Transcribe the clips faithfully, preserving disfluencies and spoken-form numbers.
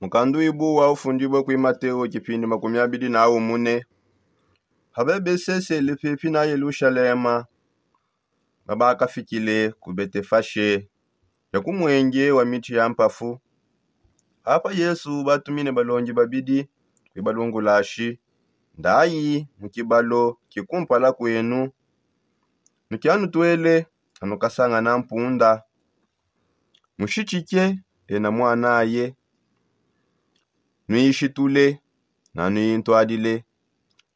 Mukandu ibu wa ufundibue kui mateo kipindi makumi abidi na umune. Habebesesele pepi na yelushalema, babakafikile ku betefashe ya ku mwenge wa miti ya mpafu. Apa yesu batumine balongi babidi, kuibalungulashi, ndayi mu kibalo kikumpala kwenu, nukianutwele anukasangana mpunda, mushitshike ena mwanaye, nuishitule na nuintwadile.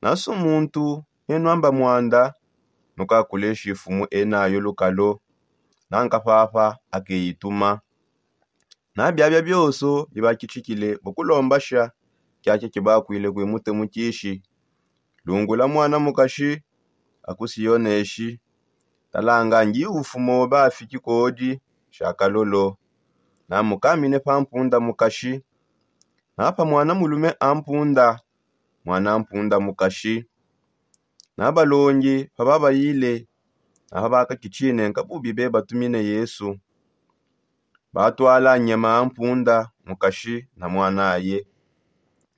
Nasu muntu enuamba mwanda, nukakuleshi ifumu enayo lukalo, nankapapa akeituma. Na biabia bioso bibakitshikile bukulombasha kiakia kibakwile kuimute mukishi. Lungula mwana mukashi akusiyoneshi, talanga ngi ufumo bafiki kodi shakalolo. Namukamine pa mpunda mukashi, napa mwana mulume ampunda, mwana mpunda mukashi. Nabalongi pababayile, napa bakakitshine nkabubi bebatumine yesu. Batwala nyama ampunda mukashi na mwanaye,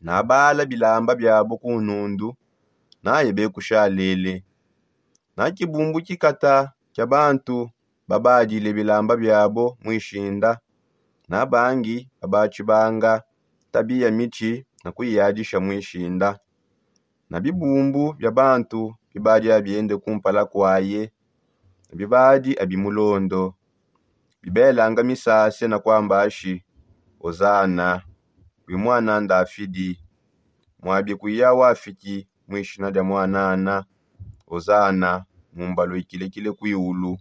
nabala bilamba biabo ku nundu, naye bekushalele. Na kibumbu kikata kia bantu babadile bilamba biabo muishinda, na bangi babatshibanga tabi ya mitshi na kuiyadisha muishinda. Na bibumbu bia bantu bibadi abiende kumpala kuaye, na bibadi abimulondo, bibelanga misase na kuamba ashi: Ozana, wi mwana ndafidi. Muabi kuya wafiki muishina dia mwanana. Ozana, mumbalu ikilekile kuiulu.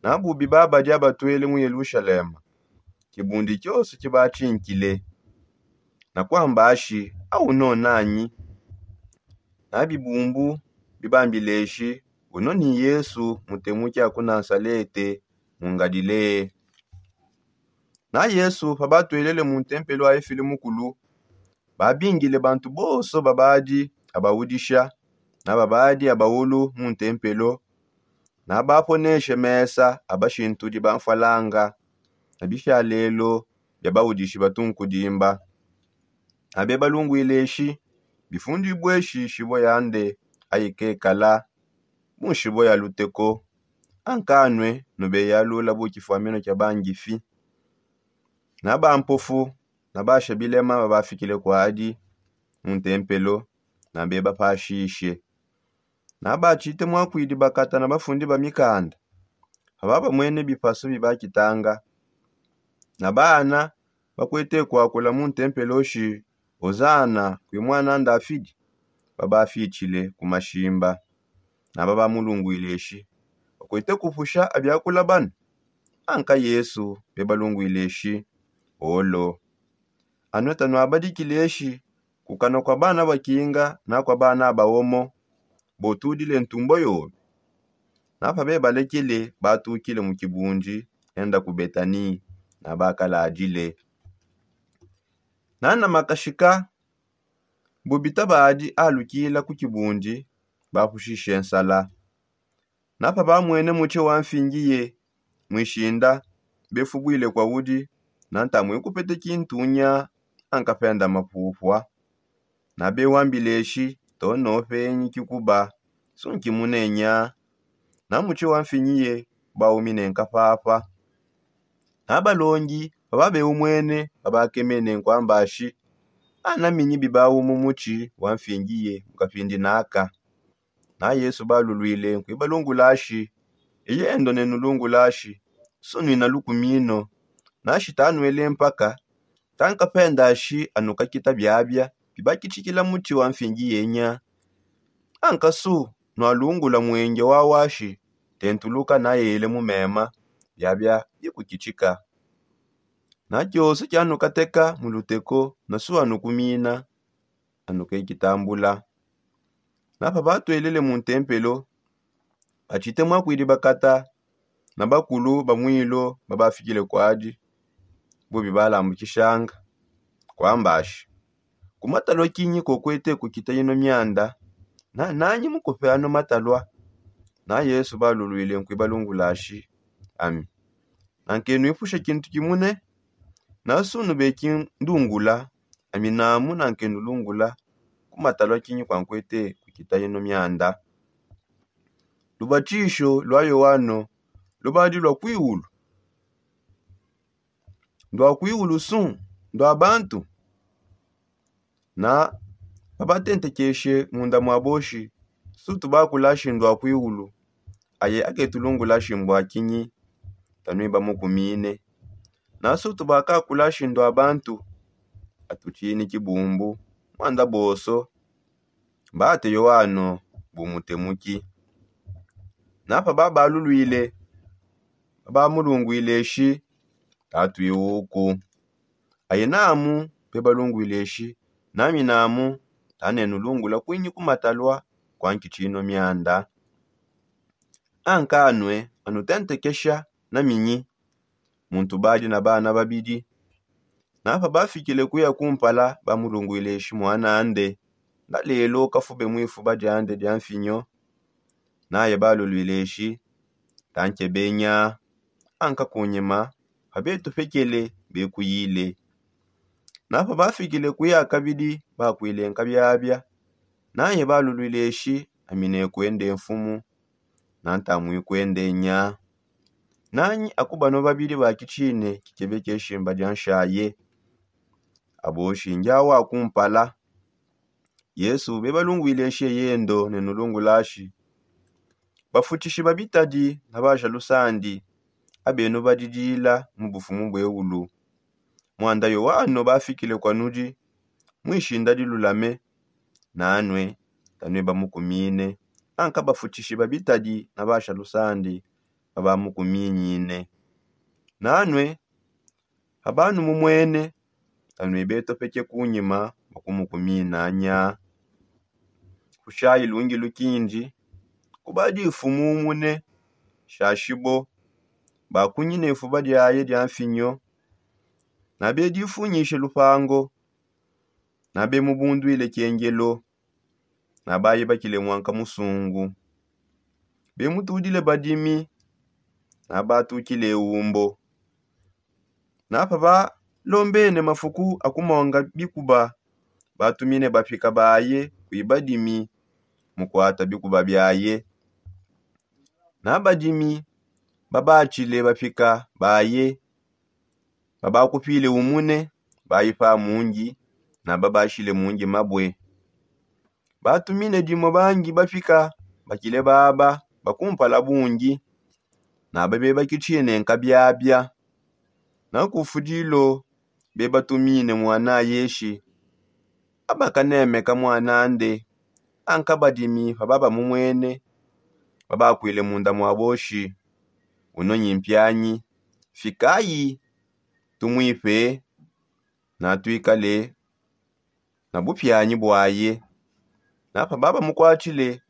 Na bubi babadi abatwele mu yelushalema, kibundi kioso kibatshinkile, na kuamba ashi: Au no nanyi? Na bibumbu bibambileshi: Uno ni yesu mutemuki aku nasalete, mu ngalilee. Na yesu pabatwelele mu ntempelo aifile mukulu, babingile bantu bonso babadi abaudisha na babadi abaulu mu ntempelo, na baponeshe mesa abashintudi ba mfwalanga na bishalelo bia baudishi batunkudimba. Abe balungwile eshi: Bifundibue eshi nshibo yande, ayi kekala mu nshibo ya luteko, ankanue nube yalula bu kifwamino kia bangifi. Na bampofu na basha bilema babafikile kuadi mu ntempelo, na bebapashishe. Na batshite mwakwidi bakata na bafundi ba mikanda, paba bamwene bipasu bibakitanga. Na bana bakwete kuakula mu ntempelo shi: Ozana kwi mwana ndafidi, babafitshile ku mashimba. Na babamulungwile shi: Bakwete kupusha abiakula bana? Anka yesu bebalungwile shi: Olo. Anue tanuabadikile shi: Ku kanua kua bana bakinga na kua bana baomo, botudile ntumbo yobe. Na pabebalekele, batukile mu kibundi enda ku betani, na bakaladile. Na na makashika, bu bitabadi alukila ku kibundi, bapushishe nsala. Na pabamwene mutshi wa mfingiye muishinda, befubwile kuaudi, na ntamue kupete kintunya, ankapenda mapupua. Na bewambile shi: Tono penyi kikuba, sunki munenya. Na mutshi wa mfingiye baumine nkapapa. Na balongi pababeumwene, babakemene nkuamba shi: Anaminyi bibawu mu mutshi wa mfingiye mu kapindi naka? Na yesu balulwile nkuibalungula shi: Eyendo nenulungula shi: Sunuina lukumino. Nashi tanuele mpaka, tankapenda shi anukakita biabia bibakitshikila mutshi wa mfingi yenya. Ankasu nualungula mwenge wawa shi: Tentuluka nayele mu mema, biabia bikukitshika. Na kioso kianukateka mu luteko, nasu anukumina, anukekitambula. Na pabatwelele mu ntempelo, batshite mwakwidi bakata na bakulu ba mwilo babafikile kuadi, bubi balambukishanga, kuambashi: Ku matalua kinyi kokwete kukita ino mianda? Na nanyi mukupe ano matalua? Na yesu balulwile nkuibalungulashi: Ami nankenuipusha kintu kimune. Nansunu beki ndungula, ami namu nankenulungula ku matalua kinyi kua nkuete kukita yino mianda. Lubatshisho lua yoano lubadi lua kuiulu? Ndua kuiulu su ndua bantu? Na babatentekeshe munda mua boshi, sutu bakulashi ndua kuiulu? Aye aketulungulashi mbua kinyi? Tanuiba mukumine. Na sutu bakakulashi ndua bantu? Atutshini kibumbu muanda bonso. Mbate yoano bumutemuki. Napa babalulwile babamulungwile shi, tatuiwuku. Aye namu bebalungwile shi, nami namu tanenulungula kwinyi kumatalua kua nkitshino mianda. Ankanue anutentekesha na minyi? Muntu badi na bana babidi. Napa bafikile kuya kumpala bamulungwile shi muanande, ndalelo kafube muifuba diande dia mfinyo. Naye balulwile shi, tankebenya. Anka kunyima pabetupekele bekuyile. Napa bafikile kuya kabidi bakwile nkabiabia. Naye balulwile shi, ami nekuende mfumu. Nantamui kuende nya. Nanyi akubanua babidi bakitshine kikebe keshimba dia nshaye? Abo shingi awa kumpala. Yesu bebalungwile shi yendo nenulungulashi, bafutishi ba bitadi na baja lusandi abenu badidila mu bufumu bueulu. Muanda yoano bafikile kua nudi muishinda dilulame. Nanue tanuiba mukumine. Anka bafutishi ba bitadi na baja lusandi babamukuminyine. Nanue pabanumumwene, tanuibe topeke kunyima bakumukuminanya. Kushayi lungi lukindi kubadi mfumu umune shashibo. Bakunyine ifuba diaye dia mfinyo. Nabe difunyishe lupango. Nabe mubundwile kiengelo. Nabaye bakile muanka musungu. Bemutudile badimi. Nabatukile umbo. Napa balombene mafuku akumonga bikuba, batumine bapika baye kui badimi mukuata bikuba biaye. Na badimi babatshile bapika baye, babakupile umune, bayi pa mungi, na babashile mungi mabue. Batumine dimue bangi bapika bakile baba bakumpala bungi, na babe bakitshine nkabiabia. Na kufudilo bebatumine muanaye shi, abakanemeka muanande. Anka badimi pababamumwene, babakwile munda mua boshi, uno nyi mpianyi, fikayi tumuipe, natuikale na bupianyi buaye. Na pababamukuatshile,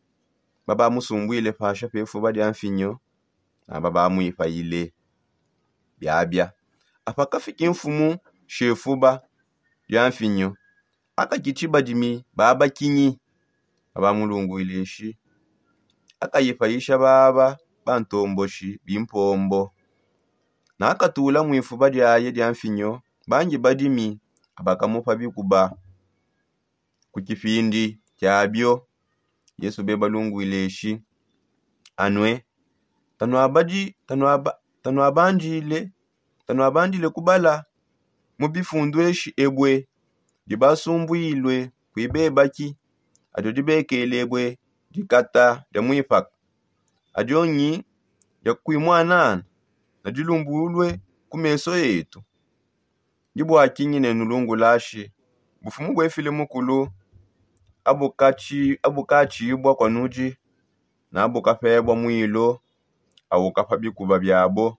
babamusumbwile pasha pe fuba dia mfinyo, na babamuipayile. Biabia apa kafiki mfumu shefuba dia mfinyo, akakitshi badimi baba kinyi? Babamulungwile shi, akayipayisha baba bantomboshi bimpombo. Nakatula muifuba diaye dia mfinyo bangi badimi abakamupa bikuba. Ku kipindi kiabio, yesu bebalungwile shi, anue tanuabandile kubala mu bifundu eshi ebue dibasumbuilue kui bebaki, adio dibekelebue dikata dia muipaka, adio nyi dia kui muanana, nadilumbulue ku meso etu. Ndi bua kinyi nenulungulashi bufumu buefile mukulu abukatshibua kua nudi, na bukapebua muilu aukapa bikuba biabo.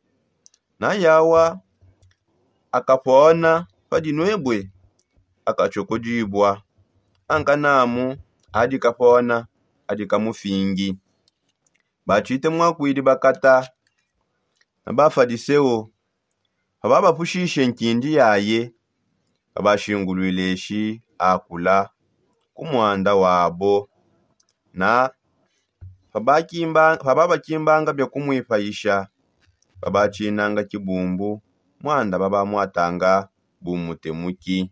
Na yawa akapona padi nuebue akatshiokodibua, ankanamu adi kapona adi kamufingi. Batshite muakuidi bakata na bafadiseo pababapushishe nkindi yaye, babashinguluile shi akula ku muanda wabo. Na pababakimbanga bia kumuipayisha, babatshinanga kibumbu muanda babamuatanga bumutemuki.